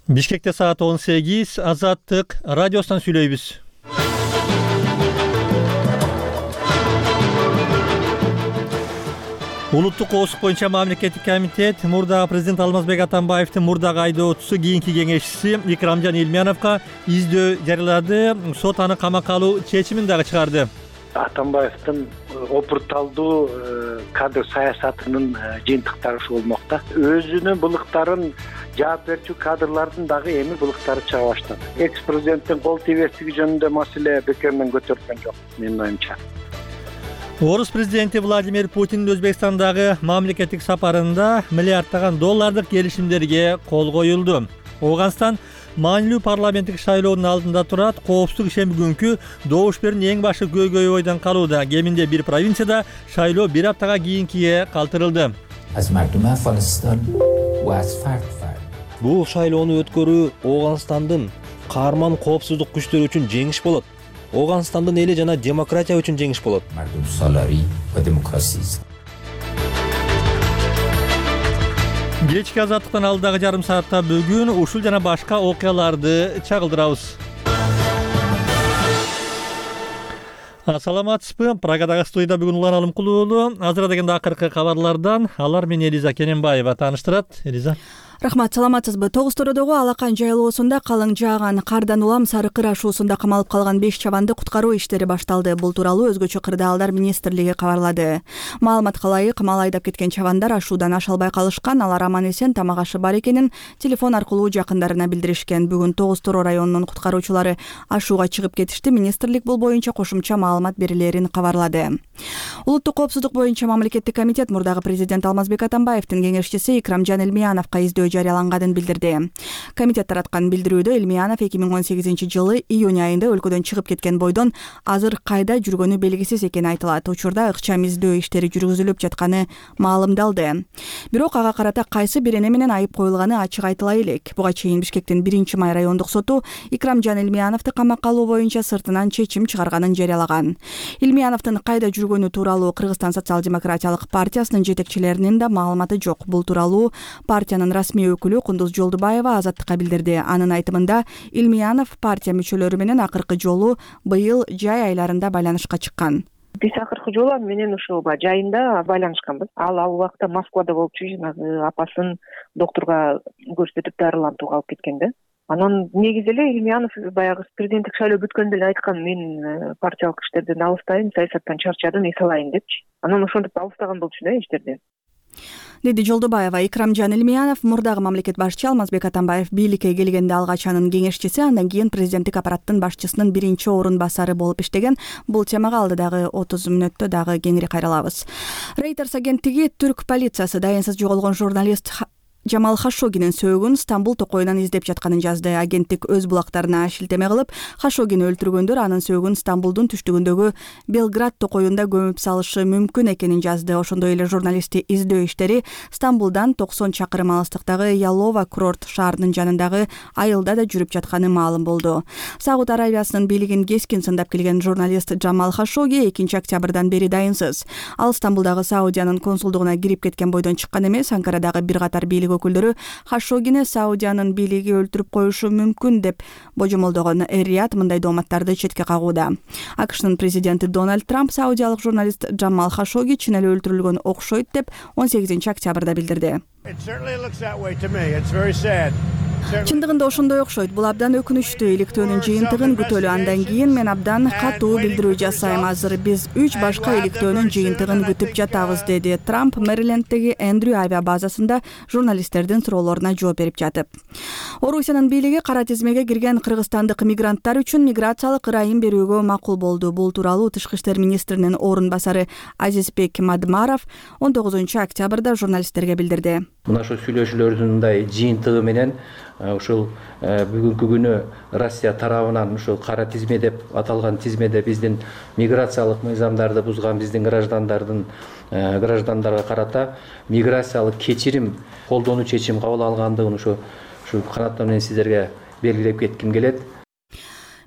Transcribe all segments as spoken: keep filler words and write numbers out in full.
Бишкекте саат он сегиз, Азаттык радиосунан сүйлөйбүз. Улуттук коопсуздук боюнча мамлекеттик комитет мурдагы президент Алмазбек Атамбаевдин мурдагы айдоочусу кийинки кеңешчиси Икрамжан Илмяновго издөө жарыялады. Сот аны камакка алуу чечимин дагы чыгарды. Атамбаевдин опурталдуу кадр саясатынын жыйынтыктары ушу болмокто. Өзүнүн былыктарын жаап берчү кадрлардын дагы эми былыктары чыга баштады. Экс-президенттин кол тийбестиги жөнүндө маселе бекеринен көтөрүлгөн жок, менин оюмча. Орус президенти Владимир Путиндин Өзбекстандагы мамлекеттик сапарында миллиарддаган доллардык келишимдерге кол коюлду. Ооганстан маанилүү парламенттик шайлоонун алдында турат. Коопсуздук ишен бүгүнкү добуш берүүнүн эң башы көйгөй бойдон калууда. Кеминде бир провинцияда шайлоо бир аптага кийинкиге калтырылды. Бул шайлоону өткөрүү Ооганстандын каарман коопсуздук күчтөрү үчүн жеңиш болот. Ооганстандын эли жана демократия үчүн жеңиш болот. Кечки азаттыктан алдагы жарым саатта бүгүн ушул жана башка окуяларды чагылдырабыз. Саламатсызбы? Прагадагы студияда бүгүн Улан Алымкулуу уулу. Азыр дегенде акыркы кабарлардан алар менен Элиза Кененбаева тааныштырат. Элиза. Рахмат, саламатсызбы? Тогуз-Тородогу Алакан жайлоосунда калың жааган кардан улам Сары Кыр ашуусунда камалып калган беш чабанды куткаруу иштери башталды. Бул тууралуу Өзгөчө кырдаалдар министрлиги кабарлады. Маалыматка ылайык, мал айдап кеткен чабандар ашуудан аша албай калышкан. Алар аман-эсен тамак ашы бар экенин телефон аркылуу жакындарына билдиришкен. Бүгүн Тогуз-Торо районунун куткаруучулары ашууга чыгып кетишти. Министрлик бул боюнча кошумча маалымат берилерин кабарлады. Улуттук коопсуздук боюнча мамлекеттик комитет мурдагы президент Алмазбек Атамбаевдин кеңешчиси Икрамжан Илмяновго издөө жарыяланганын билдирди. Комитет тараткан билдирүүдө Илмянов эки миң он сегизинчи жылы июнь айында өлкөдөн чыгып кеткен бойдон азыр кайда жүргөнү белгисиз экени айтылат. Учурда ыкчам издөө иштери жүргүзүлүп жатканы маалымдалды. Бирок ага карата кайсы бир эне менен айып коюлганы ачык айтыла элек. Буга чейин Бишкектин биринчи май райондук соту Икрамжан Илмяновду камакка алуу боюнча сыртынан чечим чыгарганын жарыялаган. Илмяновдун кайда жүргөнү тууралуу Кыргызстан социал-демократиялык партиясынын жетекчилеринин да маалыматы жок. Бул тууралуу партиянын расмий өкүлү Кундуз Жолдубаева Азаттыкка билдирди. Анын айтымында Илмянов партия мүчөлөрү менен акыркы жолу быйыл жай айларында байланышка чыккан. Биз акыркы жолу аны менен ушул жайында байланышканбыз. Ал ал убакта Москвада болчу, жанагы апасын доктурга көрсөтүп дарылантууга алып кеткен да. Анан негизи эле Илмянов баягы президенттик шайлоо бүткөндө эле айткан, мен партиялык иштерден алыстайм, саясаттан чарчадым, эс алайын депчи. Анан ошентип алыстаган болчу да иштерден. Деди Жолдубаева. Икрамжан Илмянов мурдагы мамлекет башчы Алмазбек Атамбаев бийликке келгенде алгач анын кеңешчиси, андан кийин президенттик аппараттын башчысынын биринчи орун басары болуп иштеген. Бул темага алдыдагы отуз мүнөттө дагы кеңири кайрылабыз. Reuters агенттиги түрк полициясы дайынсыз жоголгон журналист Жамал Хашогинин сөөгүн Стамбул токойунан издеп жатканын жазды. Агенттик өз булактарына шилтеме кылып, Хашогини өлтүргөндөр анын сөөгүн Стамбулдун түштүгүндөгү Белград токойунда көмүп салышы мүмкүн экенин жазды. Ошондой эле журналистти издөө иштери Стамбулдан токсон чакырым алыстыктагы Ялова курорт шаарынын жанындагы айылда да жүрүп жатканы маалым болду. Сауд Аравиясынын бийлигин кескин сындап келген журналист Жамал Хашоги экинчи октябрдан бери дайынсыз. Ал Стамбулдагы Саудиянын консулдугуна кирип кеткен бойдон чыккан эмес. Анкарадагы бир катар бийлик өкүлдөрү Хашогини Саудиянын бийлиги өлтүрүп коюшу мүмкүн деп божомолдогон. Эр-Рияд мындай дооматтарды четке кагууда. АКШнын президенти Дональд Трамп саудиялык журналист Жамал Хашоги чын эле өлтүрүлгөн окшойт деп он сегизинчи октябрда билдирди. Чындыгында ошондой окшойт. Бул абдан өкүнүчтүү. Иликтөөнүн жыйынтыгын күтөлү. Андан кийин мен абдан катуу билдирүү жасайм. Азыр биз үч башка иликтөөнүн жыйынтыгын күтүп жатабыз, деди Трамп Мэриленддеги Эндрю авиа базасында журналисттердин суроолоруна жооп берип жатып. Орусиянын бийлиги кара тизмеге кирген кыргызстандык мигранттар үчүн миграциялык ырайым берүүгө макул болду. Бул тууралуу Тышкы иштер министринин орун басары Азизбек Мадмаров он тогузунчу октябрда журналисттерге билдирди. Мына ошо сүйлөшүүлөрдүн мындай жыйынтыгы менен ушул бүгүнкү күнү Россия тарабынан ушул кара тизме деп аталган тизмеде биздин миграциялык мыйзамдарды бузган биздин граждандардын граждандарга карата миграциялык кечирим колдонуу чечим кабыл алгандыгын ушу ушу канаттоо менен сиздерге белгилеп кетким келет.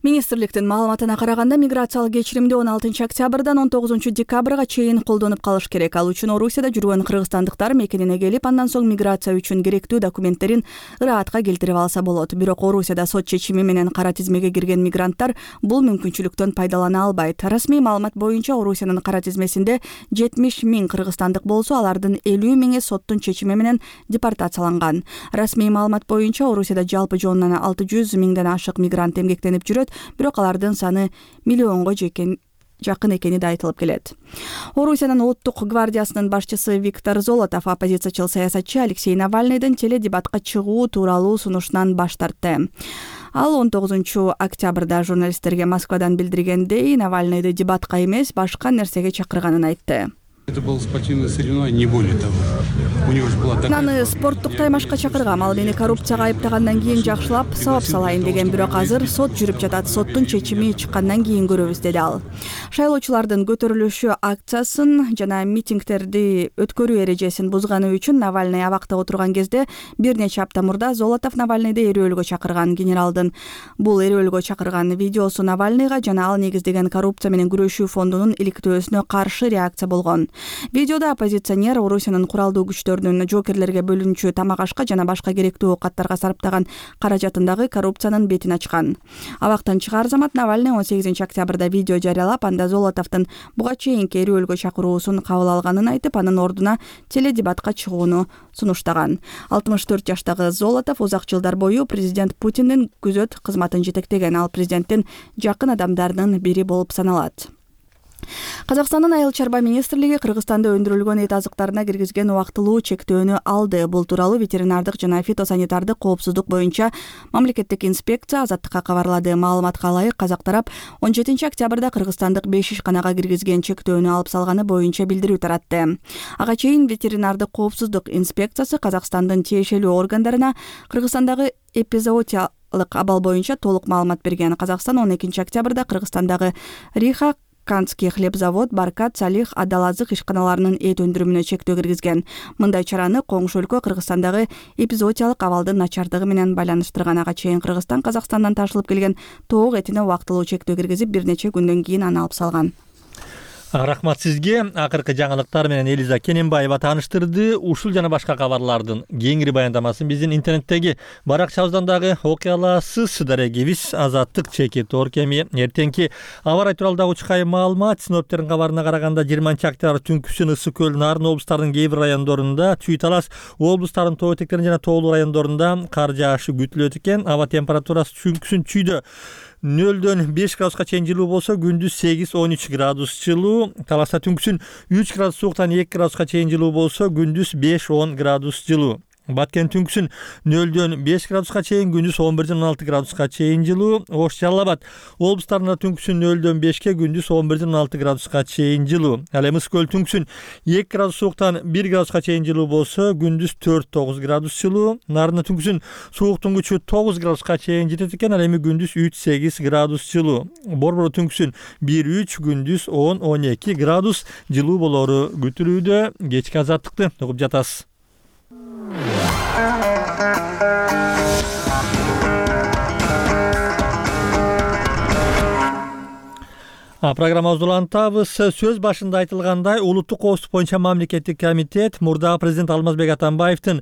Министрликтин маалыматына караганда миграциялык кечиримди он алтынчы октябрдан он тогузунчу декабрга чейин колдонуп калыш керек. Ал үчүн Орусияда жүргөн кыргызстандыктар мекенине келип, андан соң миграция үчүн керектүү документтерин ыраатка келтирип алса болот. Бирок Орусияда сот чечими менен кара тизмеге кирген мигранттар бул мүмкүнчүлүктөн пайдалана албайт. Расмий маалымат боюнча Орусиянын кара тизмесинде жетимиш миң кыргызстандык болсо, алардын элүү миңи соттун чечими менен депортацияланган. Расмий маалымат боюнча Орусияда жалпы жонунан алты жүз миңден ашык мигрант эмгектенип жүрөт. Бирок алардын саны миллионго жакын экени да айтылып келет. Орусиянын улуттук гвардиясынын башчысы Виктор Золотов оппозициячыл саясатчы Алексей Навальныйдын теледебатка чыгуу тууралуу сунушунан баш тартты. Ал он тогузунчу октябрда журналисттерге Москвадан билдиргендей, Навальныйды дебатка эмес, башка нерсеге чакырганын айтты. Это было спортивное соревнование, не более того. У него же была такая... Наны спорттук таймашка чакыргам, ал мени коррупцияга айыптагандан кийин жакшылап сабап салайын деген, бирок азыр сот жүрүп жатат. Соттун чечими чыккандан кийин көрөбүз, деди ал. Шайлоочулардын көтөрүлүшү акциясын жана митингтерди өткөрүү эрежесин бузганы үчүн Навальный абакта отурган кезде бир нече апта мурда Золотов Навальныйды эрөөлгө чакырган. Генералдын бул эрөөлгө чакырган видеосу Навальныйга жана ал негиздеген коррупция менен күрөшүү фондунун иликтөөсүнө каршы реакция болгон. Видеодо оппозиционер Орусиянын куралдуу күчтөрүнүн жокерлерге бөлүнчү тамак ашка жана башка керектүү оокаттарга сарптаган каражатындагы коррупциянын бетин ачкан. Абактан чыгаар замат Навальный он сегизинчи октябрда видео жарыялап, анда Золотовдун буга чейинки эрөөлгө чакыруусун кабыл алганын айтып, анын ордуна теледебатка чыгууну сунуштаган. алтымыш төрт жаштагы Золотов узак жылдар бою президент Путиндин күзөт кызматын жетектеген. Ал президенттин жакын адамдарынын бири болуп саналат. Казакстандын айыл чарба министрлиги Кыргызстанда өндүрүлгөн эт азыктарына киргизген убактылуу чектөөнү алды. Бул тууралуу ветеринардык жана фитосанитардык коопсуздук боюнча мамлекеттик инспекция Азаттыкка кабарлады. Маалыматка ылайык, казак тарап он жетинчи октябрда кыргызстандык беш ишканага киргизген чектөөнү алып салганы боюнча билдирүү таратты. Ага чейин ветеринардык коопсуздук инспекциясы Казакстандын тиешелүү органдарына Кыргызстандагы эпизоотиялык абал боюнча толук маалымат берген. Казакстан он экинчи октябрда Кыргызстандагы Риха Канский хлебзавод, Баркат, Салих, Адалазык ишканаларынын эт өндүрүмүнө чектөө киргизген. Мындай чараны коңшу өлкө Кыргызстандагы эпизоотиялык абалдын начардыгы менен байланыштырган. Ага чейин Кыргызстан Казакстандан ташылып келген тоок этине убактылуу чектөө киргизип, бир нече күндөн кийин аны алып салган. Рахмат сизге. Акыркы жаңылыктар менен Элиза Кененбаева тааныштырды. Ушул жана башка кабарлардын кеңири баяндамасын биздин интернеттеги баракчабыздан дагы окуй аласыз. Дарегибиз Азаттык чеки Торкеми. Эртеңки аба ырайы тууралуу дагы учкай маалымат. Синоптиктердин кабарына караганда жыйырманчы октябрь түнкүсүн Ысык көл, Нарын облустарынын кээ бир райондорунда, Чүй Талас облустарынын тоо этектеринин жана тоолуу райондорунда кар жаашы күтүлөт экен. Аба температурасы түнкүсүн Чүйдө нөлдөн беш градуска чейин жылуу болсо, күндүз сегиз он үч градус жылуу. Таласта түнкүсүн үч градус сууктан эки градуска чейин жылуу болсо, күндүз беш он градус жылуу. Баткен түнкүсүн нөлдөн беш градуска чейин, күндүз он бирден он алты градуска чейин жылуу. Ош, Жалал Абад облустарында түнкүсүн нөлдөн бешке, күндүз он бирден он алты градуска чейин жылуу. Ал эми Ысык көл түнкүсүн эки градус сууктан бир градуска чейин жылуу болсо, күндүз төрт тогуз градус жылуу. Нарында түнкүсүн сууктун күчү тогуз градуска чейин жетет экен, ал эми күндүз үч сегиз градус жылуу. Борбору түнкүсүн бир үч, күндүз он он эки градус жылуу болору күтүлүүдө. Кечки Азаттыкты угуп жатасыз. Программабызды улантабыз. Сөз башында айтылгандай, улуттук коопсуздук боюнча мамлекеттик комитет мурдагы президент Алмазбек Атамбаевдин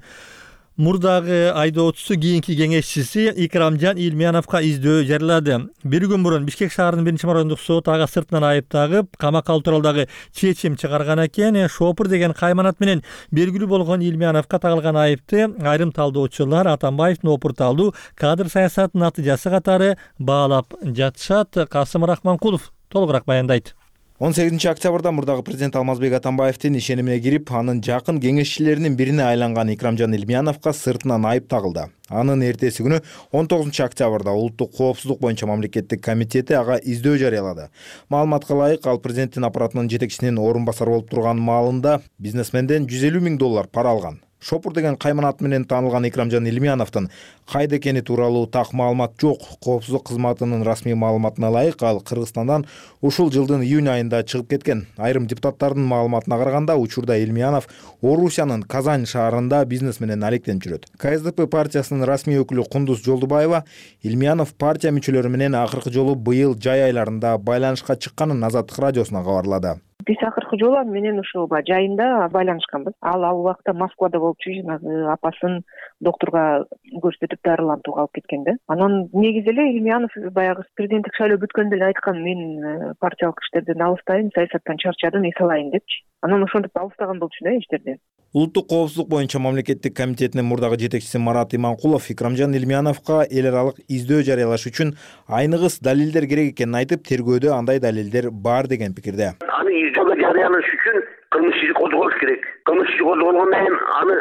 мурдагы айдоочусу, кийинки кеңешчиси Икрамжан Илмияновго издөө жарыялады. Бир күн мурун Бишкек шаарынын биринчи марандык соту ага сыртынан айып тагып, камакка алуу тууралуу чечим чыгарган экен. Шопур деген кайманат менен белгилүү болгон Илмияновго тагылган айыпты айрым талдоочулар Атамбаевдин опурталдуу кадр саясатынын натыйжасы катары баалап жатышат. Касым Рахманкулов толугураак баяндайт. он сегизинчи октябрда мурдагы президент Алмазбек Атамбаевдин ишенимине кирип, анын жакын кеңешчилеринин бирине айланган Икрамжан Илмияновго сыртынан айып тагылды. Анын эртеси күнү он тогузунчу октябрда улуттук коопсуздук боюнча мамлекеттик комитети ага издөө жарыялады. Маалыматка ылайык, ал президенттин аппаратынын жетекчисинин орун басары болуп турган маалында бизнесменден жүз элүү миң доллар пара алган. Шопур деген кайман аты менен таанылган Икрамжан Илмияновдун кайда экени тууралуу так маалымат жок. Коопсуздук кызматынын расмий маалыматына ылайык ал Кыргызстандан ушул жылдын июнь айында чыгып кеткен. Айрым депутаттардын маалыматына караганда учурда Илмиянов Орусиянын Казань шаарында бизнес менен алектенип жүрөт. ка эс дэ пэ партиясынын расмий өкүлү Кундуз Жолдубаева Илмиянов партия мүчөлөрү менен акыркы жолу быйыл жай айларында байланышка чыкканын Азаттык радиосуна кабарлады. Биз акыркы жолу менен ушул жайында байланышканбыз. Ал ал убакта Москвада болуп жанагы апасын доктурга көрсөтүп дарылантууга алып кеткен да. Анан негизи эле Илмиянов баягы президенттик шайлоо бүткөндө эле айткан, мен партиялык иштерден алыстайм, саясаттан чарчадым, эс алайын депчи. Анан ошентип алыстаган болчу да иштерден. Улуттук коопсуздук боюнча мамлекеттик комитетинин мурдагы жетекчиси Марат Иманкулов Икрамжан Илмияновго эл аралык издөө жарыялаш үчүн айныгыс далилдер керек экенин айтып, тергөөдө андай далилдер бар деген пикирде. Аны издөөгө жарыялаш үчүн кылмыш иши козголуш керек. Кылмыш иши козголгондон кийин аны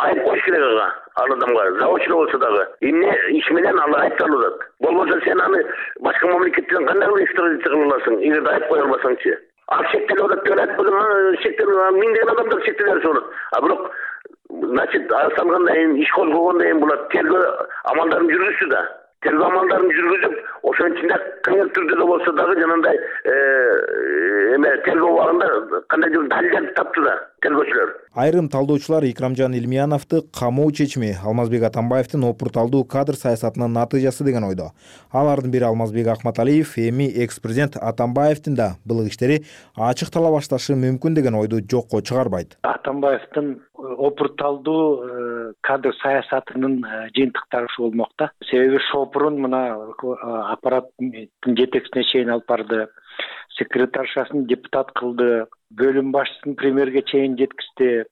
айып коюш керек ага. Ал адамга заочно болсо дагы эмне иш менен ал айыпталат. Болбосо сен аны башка мамлекеттен кандай экстрадиция кыла аласың, эгерде айып кое албасаңчы. Ал шектелип атат деген айтпадым, шектелип миңдеген адамдар шектелип болот. А бирок значит салгандан кийин иш козголгондон кийин булар тергөө амалдарын жүргүзсү да. Тергөө амалдарын жүргүзүп, ошонун ичинде кандай түрдө да болсо дагы жанагындай эме тергөө убагында кандайдыр далилдер тапты да тергөөчүлөр. Айрым талдоочулар Икрамжан Илмияновду камоо чечими Алмазбек Атамбаевдин опурталдуу кадр саясатынын натыйжасы деген ойдо. Алардын бири Алмазбек Акматалиев эми экс-президент Атамбаевдин да былык иштери ачыктала башташы мүмкүн деген ойду жокко чыгарбайт. Атамбаевдин опурталдуу кадр саясатынын жыйынтыктары ушу болмокта. Себеби Шопурун мына аппараттын жетекчисине чейин алып барды, секретаршасын депутат кылды, бөлүм башчысын премьерге чейин жеткизди.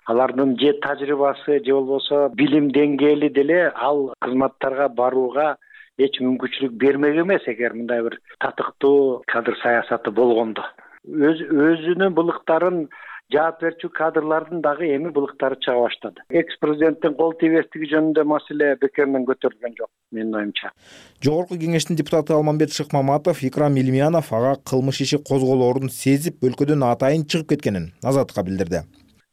Алардын же тажрыйбасы же болбосо билим деңгээли деле ал кызматтарга барууга эч мүмкүнчүлүк бермек эмес эгер мындай бир татыктуу кадр саясаты болгондо. Өз өзүнүн былыктарын жаап берчү кадрлардын дагы эми былыктары чыга баштады. Экс-президенттин кол тийбестиги жөнүндө маселе бекеринен көтөрүлгөн жок, менин оюмча. Жогорку кеңештин депутаты Алмамбет Шыкмаматов Икрам Илмиянов ага кылмыш иши козголоорун сезип өлкөдөн атайын чыгып кеткенин Азаттыкка билдирди.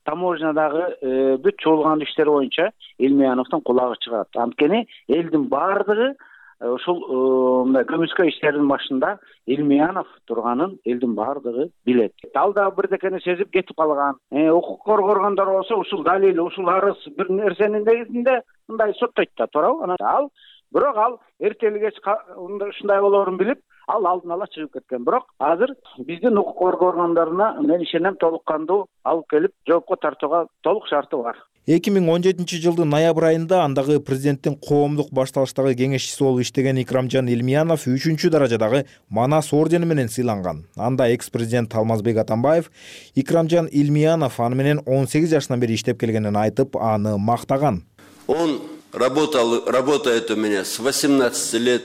Таможнядагы бүт чогулган иштер боюнча Илмияновдун кулагы чыгат. Анткени элдин баардыгы ушул мындай көмүскө иштердин башында Илмиянов турганын элдин баардыгы билет. Ал да бирдекени сезип кетип калган. Укук коргогондор болсо ушул далил, ушул арыз бир нерсенин негизинде мындай соттойт да, туурабы? Анан ал бирок ал эртели кеч ушундай болоорун билип, ал алдын ала чыгып кеткен. Бирок азыр биздин укук коргоо органдарына мен ишенем толук кандуу алып келип жоопко тартууга толук шарты бар. эки миң он жетинчи жылдын ноябрь айында андагы президенттин коомдук башталыштагы кеңешчиси болуп иштеген Икрамжан Илмиянов үчүнчү даражадагы Манас ордени менен сыйланган. Анда экс-президент Алмазбек Атамбаев Икрамжан Илмиянов аны менен он сегиз жашынан бери иштеп келгенин айтып, аны мактаган. Он работал, работает у меня с восемнадцати лет.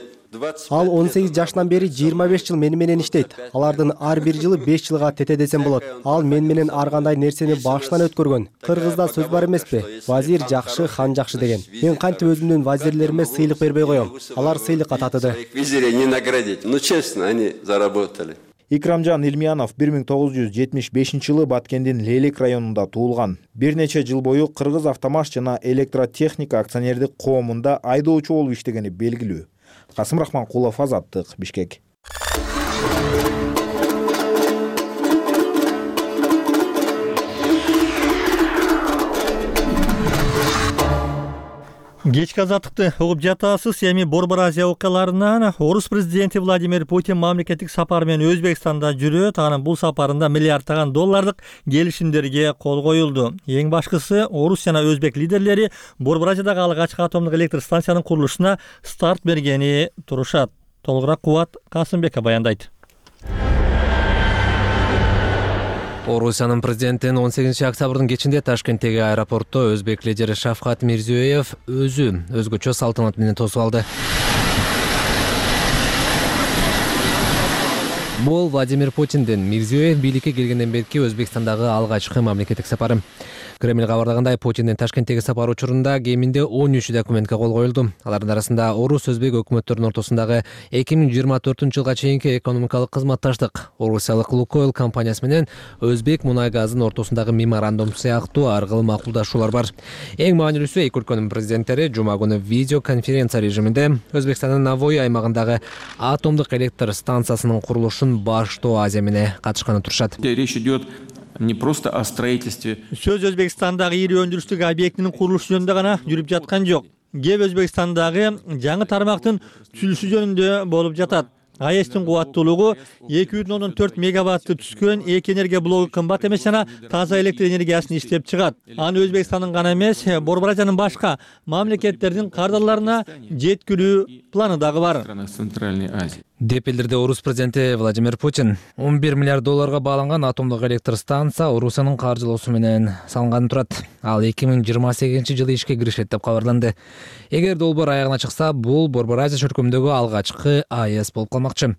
Ал он сегиз жашынан бери жыйырма беш жыл мени менен иштейт. Алардын ар бир жылы беш жылга тете десем болот. Ал мен менен ар кандай нерсени башынан өткөргөн. Кыргызда сөз бар эмеспи? Вазир жакшы, хан жакшы деген. Мен кантип өзүмдүн вазирлериме сыйлык бербей коем? Алар сыйлыкка татыды. Визире не наградить. Ну честно, они заработали. Икрамжан Илмиянов бир миң тогуз жүз жетимиш бешинчи жылы Баткендин Лелек районунда туулган. Бир нече жыл бою Кыргыз Автомаш жана Электротехника акционердик коомунда айдоочу болуп иштегени белгилүү. Касым Рахманкулов, Азаттык, Бишкек. Кечки Азаттыкты угуп жатасыз. Эми Борбор Азия окуяларынан Орус президенти Владимир Путин мамлекеттик сапар менен Өзбекстанда жүрөт. Анын бул сапарында миллиардтаган доллардык келишимдерге кол коюлду. Эң башкысы Орус жана Өзбек лидерлери Борбор Азиядагы алгачкы атомдук электр станциянын курулушуна старт бергени турушат. Толугураак Кубат Касымбеков баяндайт. Орусиянын президентин он сегизинчи октябрдын кечинде Ташкенттеги аэропортто өзбек лидери Шавкат Мирзиёев өзү өзгөчө салтанат менен тосуп алды. Бул Владимир Путиндин Мирзиёев бийликке келгенден берки Өзбекстандагы алгачкы мамлекеттик сапары. Кремль кабарлагандай, Путиндин Ташкенттеги сапары учурунда кеминде он үч документке кол коюлду. Алардын арасында орус өзбек өкмөттөрүнүн ортосундагы эки миң жыйырма төртүнчү жылга чейинки экономикалык кызматташтык, орусиялык Лукойл компаниясы менен өзбек мунай газынын ортосундагы меморандум сыяктуу ар кыл макулдашуулар бар. Эң маанилүүсү эки өлкөнүн президенттери жума күнү видео конференция режиминде Өзбекстандын Навой аймагындагы атомдук электр станциясынын курулушун баштоо аземине катышканы турушат. Речь идет не просто о строительстве. Сөз Өзбекстандагы ири өндүрүштүк объектинин курулушу жөнүндө гана жүрүп жаткан жок. Кеп Өзбекстандагы жаңы тармактын түзүлүшү жөнүндө болуп жатат. АЭСтин кубаттуулугу эки бүтүн ондон төрт мегаватты түзгөн эки энергия блогу кымбат эмес жана таза электр энергиясын иштеп чыгат. Аны Өзбекстандын гана эмес, Борбор Азиянын башка мамлекеттердин кардарларына жеткирүү планы дагы бар. Центральной Азии. Деп билдирди орус президенти Владимир Путин. он бир миллиард долларга бааланган атомдук электр станция Орусиянын каржылоосу менен салынганы турат. Ал эки миң жыйырма сегизинчи жылы ишке киришет деп кабарланды. Эгер долбоор аягына чыкса, бул Борбор Азия чөлкөмүндөгү алгачкы АЭС болуп калмакчы.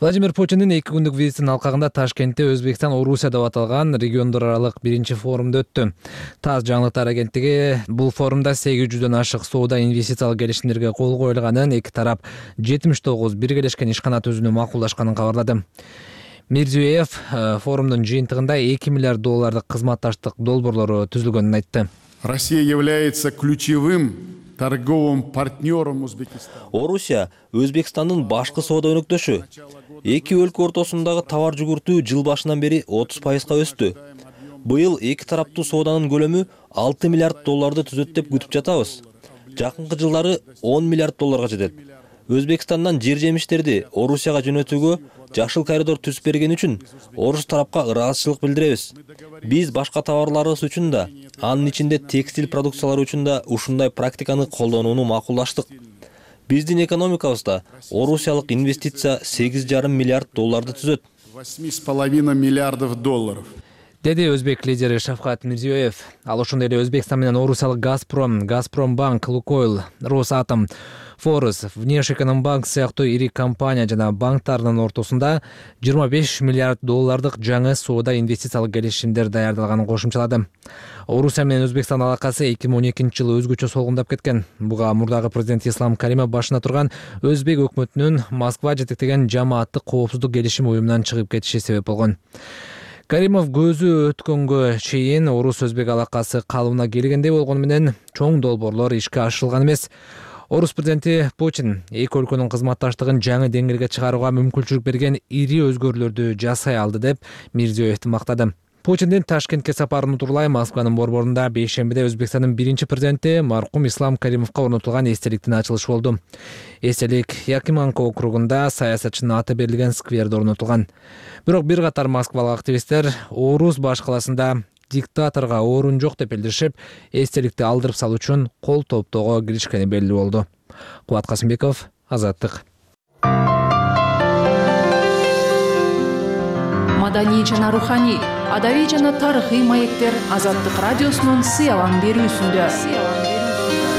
Владимир Путиндин эки күндүк визитинин алкагында Ташкентте Өзбекстан Орусия деп аталган региондор аралык биринчи форумда өттү. ТАСС жаңылыктар агенттиги бул форумда сегиз жүздөн ашык соода инвестициялык келишимдерге кол коюлганын, эки тарап жетимиш тогуз биргелешкен ишкана түзүүнү макулдашканын кабарлады. Мирзиёев форумдун жыйынтыгында эки миллиард доллардык кызматташтык долбоорлору түзүлгөнүн айтты. Россия является ключевым торговым партнером Узбекистана. Орусия Өзбекстандын башкы соода өнөктөшү. Эки өлкө ортосундагы товар жүгүртүү жыл башынан бери отуз пайызга өстү. Быйыл эки тараптуу сооданын көлөмү алты миллиард долларды түзөт деп күтүп жатабыз. Жакынкы жылдары он миллиард долларга жетет. Өзбекстандан жер жемиштерди Орусияга жөнөтүүгө жашыл коридор түзүп берген үчүн орус тарапка ыраазычылык билдиребиз. Биз башка товарларыбыз үчүн да, анын ичинде текстиль продукциялары үчүн да ушундай практиканы колдонууну макулдаштык. Биздин экономикабызда орусиялык инвестиция сегиз жарым миллиард долларды түзөт. восемь с половиной миллиардов долларов. Деди өзбек лидери Шавкат Мирзиёев. Ал ошондой эле Өзбекстан менен орусиялык Газпром, Газпромбанк, Лукойл, Росатом, Форус, Внешэкономбанк сыяктуу ири компания жана банктардын ортосунда жыйырма беш миллиард доллардык жаңы соода инвестициялык келишимдер даярдалганын кошумчалады. Орусия менен Өзбекстан алакасы эки миң он экинчи жылы өзгөчө солгундап кеткен. Буга мурдагы президент Ислам Каримов башына турган Өзбек өкмөтүнүн Москва жетектеген жамааттык коопсуздук келишим уюмунан чыгып кетиши себеп болгон. Каримов көзү өткөнгө чейин орус өзбек алакасы калыбына келгендей болгону менен чоң долбоорлор ишке ашырылган эмес. Орус президенти Путин эки өлкөнүн кызматташтыгын жаңы деңгээлге чыгарууга мүмкүнчүлүк берген ири өзгөрүүлөрдү жасай алды деп Мирзиёевди мактады. Путиндин Ташкентке сапарын утурлай Москванын борборунда бейшембиде Өзбекстандын биринчи президенти маркум Ислам Каримовго орнотулган эстеликтин ачылышы болду. Эстелик Якиманка округунда саясатчынын аты берилген скверде орнотулган. Бирок бир катар москвалык активисттер Орус баш каласында диктаторго орун жок деп билдиришип, эстеликти алдырып салуу үчүн кол топтоого киришкени белгилүү болду. Кубат Касымбеков, Азаттык. Маданий жана руханий, адабий жана тарыхый маектер Азаттык радиосунун сыялан берүүсүндө.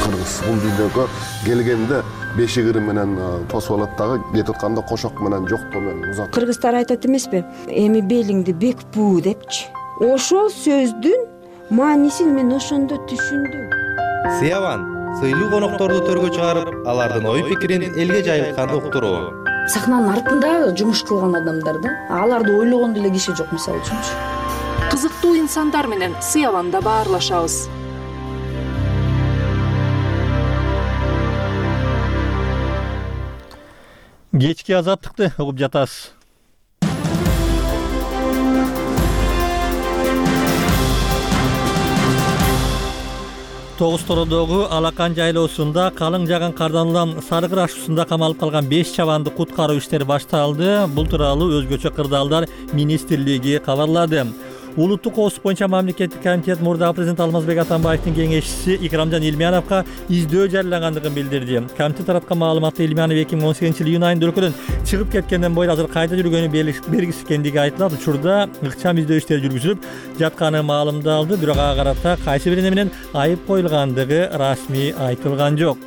Кыргыз бул дүйнөгө келгенде бешигири менен тосуп алат дагы, кетип атканда кошок менен жоктоо менен узат. Кыргыздар айтат эмеспи? Эми белиңди бек буу депчи. Ошол сөздүн маанисин мен ошондо түшүндүм. Сыяван сыйлуу конокторду төргө чыгарып, алардын ой пикирин элге жайылткан уктуруу. Сахнанын артында жумуш кылган адамдар да, аларды ойлогон деле киши жок, мисалы үчүнчү. Кызыктуу инсандар менен Сыяванда баарлашабыз. Кечки азаттыкты угуп жатасыз. Тогуз Тородогу Алакан жайлоосунда калың жаган кардан улам Сарыкыр ашуусунда камалып калган беш чабанды куткаруу иштери башталды. Бул тууралуу Өзгөчө кырдаалдар министрлиги кабарлады. Улуттук коопсуздук боюнча мамлекеттик комитет мурдагы президент Алмазбек Атамбаевдин кеңешчиси Икрамжан Илмияновго издөө жарыялагандыгын билдирди. Комитет тараткан маалыматта Илмиянов эки миң он сегизинчи жылы июнь айында өлкөдөн чыгып кеткенден бери азыр кайда жүргөнү белгисиз экендиги айтылат. Учурда ыкчам издөө иштери жүргүзүлүп жатканы маалымдалды, бирок ага карата кайсы бир эне менен айып коюлгандыгы расмий айтылган жок.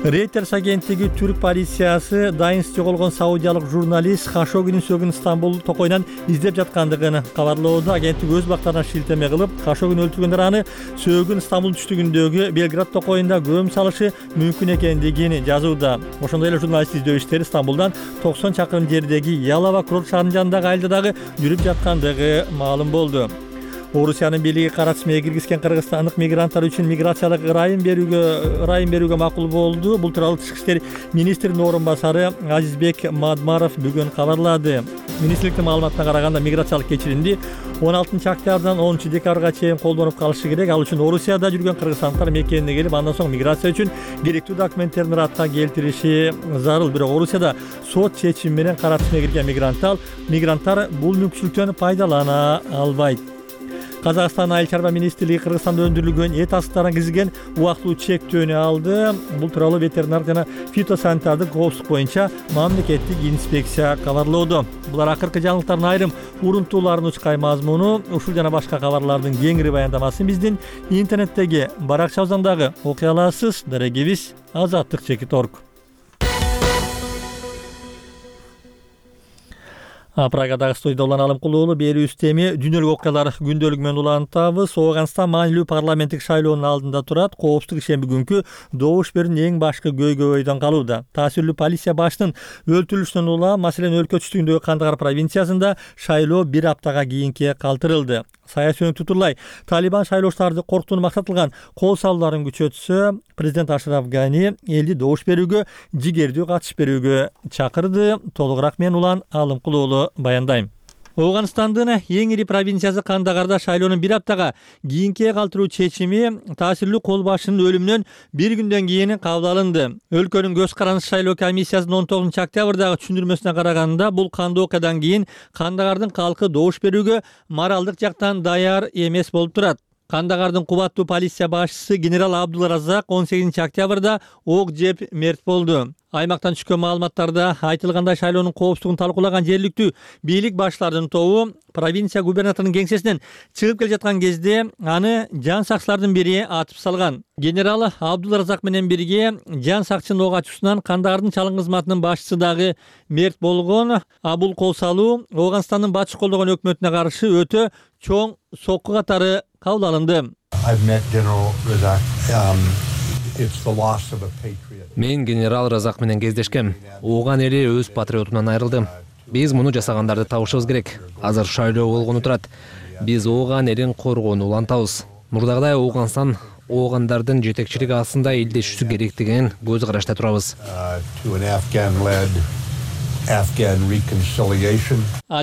Reuters агенттиги түрк полициясы дайынсыз жоголгон саудиялык журналист Хашогинин сөөгүн Стамбул токойунан издеп жаткандыгын кабарлоодо. Агенттик өз бактарынан шилтеме кылып, Хашогин өлтүргөндөр аны сөөгүн Стамбул түштүгүндөгү Белград токойунда көм салышы мүмкүн экендигин жазууда. Ошондой эле журналист издөө иштери Стамбулдан токсон чакырым жердеги Ялова курорт шаарынын жанындагы айылда дагы жүрүп жаткандыгы маалым болду. Орусиянын бийлиги кара тизмеге киргизген кыргызстандык мигранттар үчүн миграциялык ырайым берүүгө ырайым берүүгө макул болду. Бул тууралуу Тышкы иштер министринин орун басары Азизбек Мадмаров бүгүн кабарлады. Министрликтин маалыматына караганда, миграциялык кечиримди он алтынчы октябрдан онунчу декабрга чейин колдонуп калышы керек. Ал үчүн Орусияда жүргөн кыргызстандыктар мекенине келип, андан соң миграция үчүн керектүү документтерин ратка келтириши зарыл. Бирок Орусияда сот чечими менен кара тизмеге кирген мигранттар мигранттар бул мүмкүнчүлүктөн пайдалана албайт. Казакстан айыл чарба министрлиги Кыргызстанда өндүрүлгөн эт асыктарына киргизген убактылуу чектөөнү алды. Бул тууралуу ветеринардык жана фитосанитардык коопсуздук боюнча мамлекеттик инспекция кабарлоодо. Булар акыркы жаңылыктардын айрым урунтууларын учкай мазмуну. Ушул жана башка кабарлардын кеңири баяндамасын биздин интернеттеги баракчабыздан дагы окуй аласыз. Дарегибиз азаттык чекит точка орг. Прагадагы студияда Улан Алымкулуу берүүбүз теми дүйнөлүк окуялар күндөлүгү менен улантабыз. Ооганстан маанилүү парламенттик шайлоонун алдында турат. Коопсуздук ишемби күнкү добуш берүүнүн эң башкы көйгөйдөн калууда. Таасирлүү полиция башчынын өлтүрүлүшүнөн улам, маселен, өлкө түштүгүндөгү Кандагар провинциясында шайлоо бир аптага кийинке калтырылды. Саясий өнүктүрлай Талибан шайлоочуларды коркутууну максат кылган кол салууларын күчөтсө, президент Ашраф Гани элди добуш берүүгө, жигердүү катышып берүүгө чакырды. Толугураак мен Улан Алымкулуу баяндайм. Ооганстандын эң ири провинциясы Кандагарда шайлоонун бир аптага кийинке калтыруу чечими таасирлүү кол башчынын өлүмүнөн бир күндөн кийин кабыл алынды. Өлкөнүн көз карандысыз шайлоо комиссиясынын он тогузунчу октябрдагы түшүндүрмөсүнө караганда, бул кандуу окуядан кийин Кандагардын калкы добуш берүүгө моралдык жактан даяр эмес болуп турат. Кандагардын кубаттуу полиция башчысы генерал Абдулразак он сегизинчи октябрда ок жеп мерт болду. Аймактан түшкөн маалыматтарда айтылгандай, шайлоонун коопсуздугун талкуулаган жергиликтүү бийлик башчыларынын тобу провинция губернаторунун кеңсесинен чыгып келе жаткан кезде аны жан сакчылардын бири атып салган. Генерал Абдулразак менен бирге жан сакчынын ок ачуусунан Кандагардын чалым кызматынын башчысы дагы мерт болгон. А бул кол салуу Ооганстандын батыш колдогон өкмөтүнө каршы өтө чоң сокку катары кабыл алынды. Мен генерал Разак менен кездешкем. Ооган эли өз патриотунан айрылды. Биз муну жасагандарды табышыбыз керек. Азыр шайлоо болгону турат. Биз Ооган элин коргоону улантабыз. Мурдагыдай Ооганстан оогандардын жетекчилиги астында элдешүүсү керектигинин көз карашта турабыз.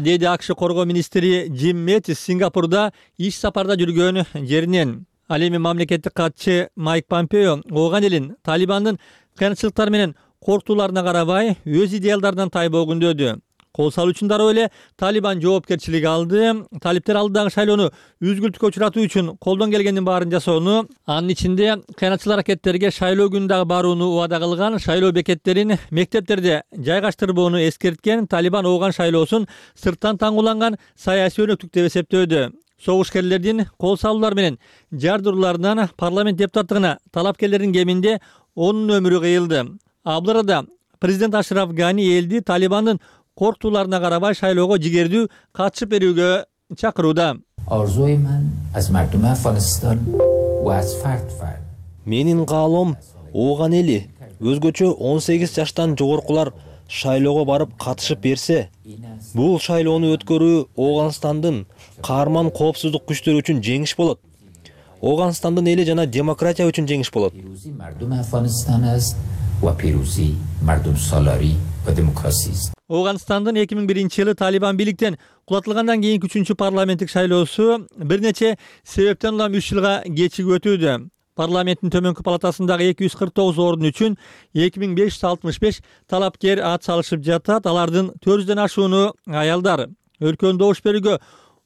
Деди АКШ коргоо министри Джим Мэттис Сингапурда иш сапарда жүргөн жеринен. Ал эми мамлекеттик катчы Майк Помпео Ооган элин Талибандын кыянчылыктары менен коркутууларына карабай өз идеалдарынан тайбоо күндөдү. Кол салуу үчүн дароо эле Талибан жоопкерчилик алды. Талиптер алдыдагы шайлоону үзгүлтүккө учуратуу үчүн колдон келгендин баарын жасоону, анын ичинде кыянатчыл аракеттерге шайлоо күнү барууну убада кылган, шайлоо бекеттерин мектептерде жайгаштырбоону эскерткен. Талибан Ооган шайлоосун сырттан таңгууланган саясий өнөктүк деп эсептөөдү. Согушкерлердин кол салуулар менен жардырууларынан парламент депутаттыгына талапкерлердин кеминде онунун өмүрү кыйылды. Бул арада президент Ашраф Гани элди Талибандын коркутууларына карабай шайлоого жигердүү катышып берүүгө чакырууда. Менин каалоом Ооган эли өзгөчө он сегиз жаштан жогоркулар шайлоого барып катышып берсе, бул шайлоону өткөрүү Ооганстандын каарман коопсуздук күчтөрү үчүн жеңиш болот. Ооганстандын эли жана демократия үчүн жеңиш болот. Ооганстандын эки миң биринчи жылы Талибан бийликтен кулатылгандан кийинки үчүнчү парламенттик шайлоосу бир нече себептен улам үч жылга кечигип өтүүдө. Парламенттин төмөнкү палатасындагы эки жүз кырк тогуз орун үчүн эки миң беш жүз алтымыш беш талапкер ат салышып жатат. Алардын төрт жүздөн ашууну аялдар. Өлкөнү добуш берүүгө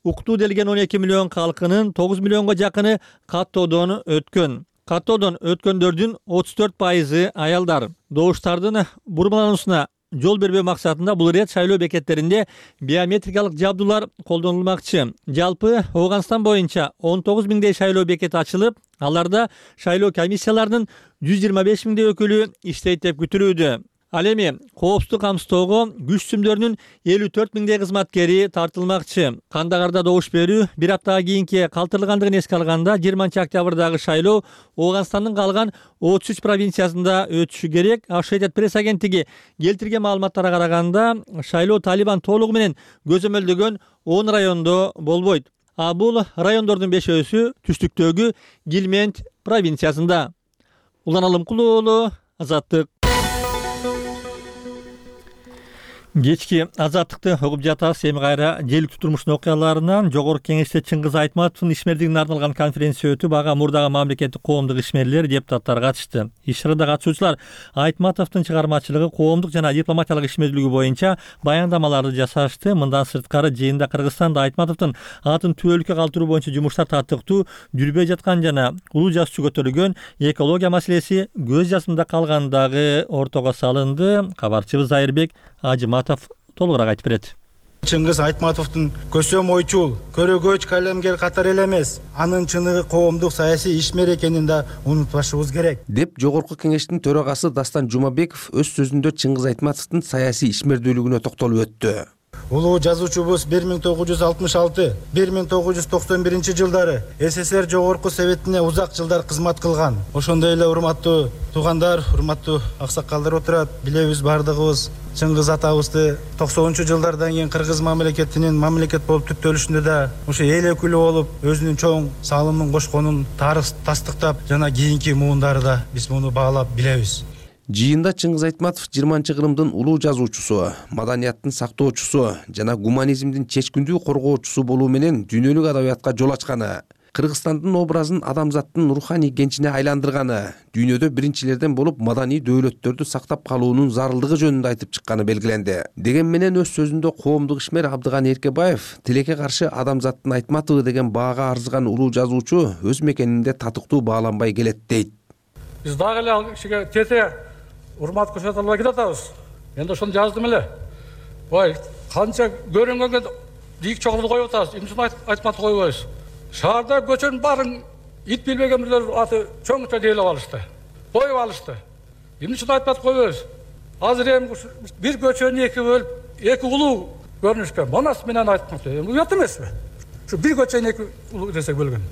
уктуу делген он эки миллион калкынын тогуз миллионго жакыны каттоодон өткөн. Каттоодон өткөндөрдүн отуз төрт пайызы аялдар. Добуштардын бурмалануусуна жол бербөө максатында бул ирет шайлоо бекеттеринде биометрикалык жабдуулар колдонулмакчы. Жалпы Ооганстан боюнча он тогуз миңдей шайлоо бекети ачылып, аларда шайлоо комиссияларынын жүз жыйырма беш миңдей өкүлү иштейт деп күтүлүүдө. Ал эми коопсуздук камсыздоого күч сүмдөрүнүн элүү төрт миңдей кызматкери тартылмакчы. Кандагарда добуш берүү бир аптага кийинки калтырылгандыгын эске алганда жыйырманчы октябрдагы шайлоо Ооганстандын калган отуз үч провинциясында өтүшү керек. Associated Press агенттиги келтирген маалыматтарга караганда шайлоо Талибан толугу менен көзөмөлдөгөн он райондо болбойт. А бул райондордун бешөөсү түштүктөгү Гилмент провинциясында. Улан Алымкулуу уулу, Азаттык. Кечки Азаттыкты угуп жатабыз. Эми кайра желиктүү турмуштун окуяларынан Жогорку Кеңеште Чыңгыз Айтматовдун ишмердигине арналган конференция өтүп, ага мурдагы мамлекеттик коомдук ишмерлер, депутаттар катышты. Иш-чарада катышуучулар Айтматовдун чыгармачылыгы, коомдук жана дипломатиялык ишмердүүлүгү боюнча баяндамаларды жасашты. Мындан сырткары жыйында Кыргызстанда Айтматовдун атын түбөлүккө калтыруу боюнча жумуштар таттыктуу жүрбөй жаткан жана улуу жазуучу көтөрүлгөн экология маселеси көз жасында калгандагы ортого салынды. Кабарчыбыз Айырбек Ажыматов толугураак айтып берет. Чыңгыз Айтматовдун көсөм ойчул, көрөгөч калемгер катары эле эмес, анын чыныгы коомдук саясий ишмер экенин да унутпашыбыз керек деп Жогорку Кеңештин төрагасы Дастан Жумабеков өз сөзүндө Чыңгыз Айтматовдун саясий ишмердүүлүгүнө токтолуп өттү. Улуу жазуучубуз бир миң тогуз жүз алтымыш алты — бир миң тогуз жүз токсон биринчи жылдары СССР Жогорку Советине узак жылдар кызмат кылган. Ошондой эле урматтуу туугандар, урматтуу аксакалдар отурат. Билебиз бардыгыбыз Чыңгыз атабызды токсонунчу жылдардан кийин Кыргыз мамлекетинин мамлекет болуп түптөлүшүндө да ошо эл өкүлү болуп өзүнүн чоң салымын кошконун тарых тастыктап, жана кийинки муундары да биз муну баалап билебиз. Жыйында Чыңгыз Айтматов жыйырманчы кылымдын улуу жазуучусу, маданияттын сактоочусу жана гуманизмдин чечкиндүү коргоочусу болуу менен дүйнөлүк адабиятка жол ачканы, Кыргызстандын образын адамзаттын руханий кенчине айландырганы, дүйнөдө биринчилерден болуп маданий дөөлөттөрдү сактап калуунун зарылдыгы жөнүндө айтып чыкканы белгиленди. Деген менен өз сөзүндө коомдук ишмер Абдыган Эркебаев тилекке каршы адамзаттын Айтматовы деген баага арзыган улуу жазуучу өз мекенинде татыктуу бааланбай келет дейт. Биз дагы эле ал кишиге тете урмат көрсөтө албай кетатабыз. Мен ошону жаздым эле. Ой, канча көрүнгөнгө дийик чогулду коюп атабыз. Эмне үчүн Айтматов койбойбуз? Шаарда көчөнүн баарын ит билбеген бирлер аты чоңча дейлеп алышты. Коюп алышты. Эмне үчүн Айтматов койбойбуз? Азыр эми бир көчөнү эки бөлүп, эки улуу көрүнүшкөн. Манас менен Айтматов. Уят эмеспи? Ушу бир көчөнү эки улуу десек бөлгөн.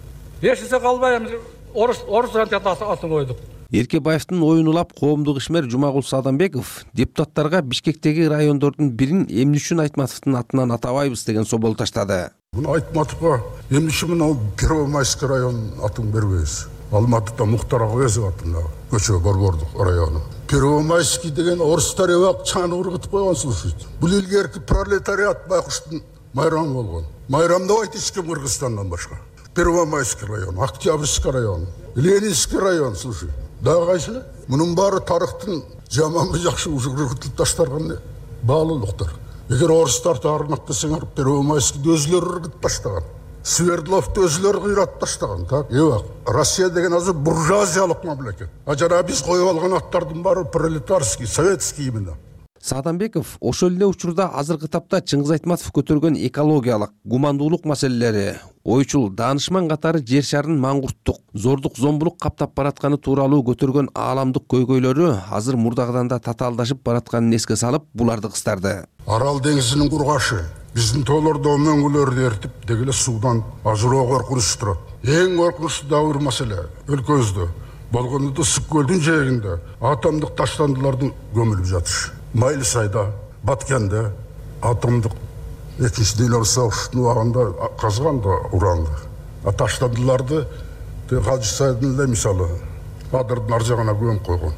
Эшисе калбай эми орус орус атын койдук. Эркебаевдин оюн улап коомдук ишмер Жумагул Садамбеков депутаттарга Бишкектеги райондордун бирин эмне үчүн Айтматовдун атынан атабайбыз деген собол таштады. Муну Айтматовго эмне үчүн мына Первомайский районун атын бербейбиз? Алматыда Мухтар Агоезов атындагы көчө Борбордук району. Первомайский деген орустар эбак чаны ургутуп койгон слушайт. Бул илгерки пролетариат байкуштун майрамы болгон. Майрамдабайт эч ким Кыргызстандан башка. Первомайский район, Октябрьский район, Ленинский район, слушай. Дагы кайсы? Мунун баары тарыхтын жаманбы жакшы ургутуп ташталган баалуулуктар. Эгер орустарды арматтасаңар, Первомайскийди өзүлөрү ургутуп таштаган. Свердловду өзүлөрү кыйратып таштаган, так? Эбак, Россия деген азыр буржуазиялык мамлекет. А жана биз коюп алган аттардын баары пролетарский, советский именно. Садамбеков ошол эле учурда азыркы тапта Чыңгыз Айтматов көтөргөн экологиялык, гумандуулук маселелери, ойчул, даанышман катары жер шарын маңгурттук, зордук, зомбулук каптап баратканы тууралуу көтөргөн ааламдык көйгөйлөрү азыр мурдагыдан да татаалдашып баратканын эске салып, буларды кыстарды. Арал деңизинин кургашы биздин тоолордо мөңгүлөрдү эртип, дегеле суудан ажыроо коркунучу турат. Эң коркунучтуу дагы бир маселе өлкөбүздө болгондо Ысык көлдүн жээгинде атомдук таштандылардын көмүлүп жатышы. Майли сайда, Баткенде атомдук экинчи дүйнөлүк согуштун убагында казган да уранды. А таштандыларды Кажы Сайдын эле мисалы Адырдын ар жагына көмүп койгон.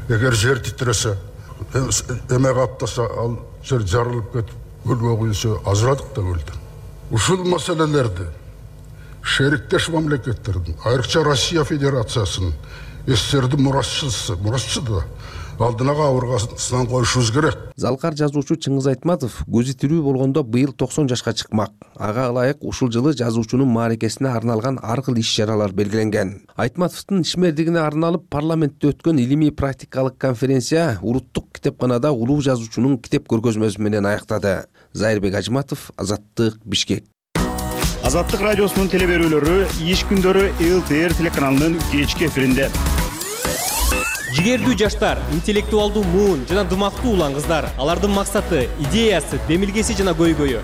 Эгер жер титиресе, эме каптаса, ал жер жарылып кетип, көлгө куюлса, ажырадык да көлдөн. Ушул маселелерди шериктеш мамлекеттердин, айрыкча Россия Федерациясынын, СССРдин мурасчысы, мурасчысы да алдына кабыргасынан коюшубуз керек. Залкар жазуучу Чыңгыз Айтматов көзү тирүү болгондо быйыл токсон жашка чыкмак. Ага ылайык ушул жылы жазуучунун мааракесине арналган ар кыл иш-чаралар белгиленген. Айтматовдун ишмердигине арналып парламентте өткөн илимий практикалык конференция Улуттук китепканада улуу жазуучунун китеп көргөзмөсү менен аяктады. Зайырбек Ажматов, Азаттык, Бишкек. Азаттык радиосунун телеберүүлөрү иш күндөрү эл тэ эр телеканалынын кечки эфиринде. Жигердүү жаштар, интеллектуалдуу муун жана дымактуу улан кыздар. Алардын максаты, идеясы, демилгеси жана көйгөйү.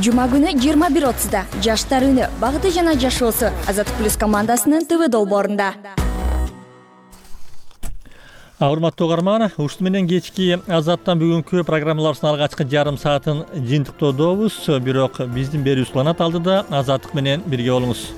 Жума күнү жыйырма бир отузда жаштар үнү, багыты жана жашоосу Азаттык плюс командасынын тэ вэ долбоорунда. Урматтуу угарман, ушул менен кечки Азаттан бүгүнкү программаларыбыздын алгачкы жарым саатын жыйынтыктоодобуз. Бирок биздин берүүбүз уланат алдыда Азаттык менен бирге болуңуз.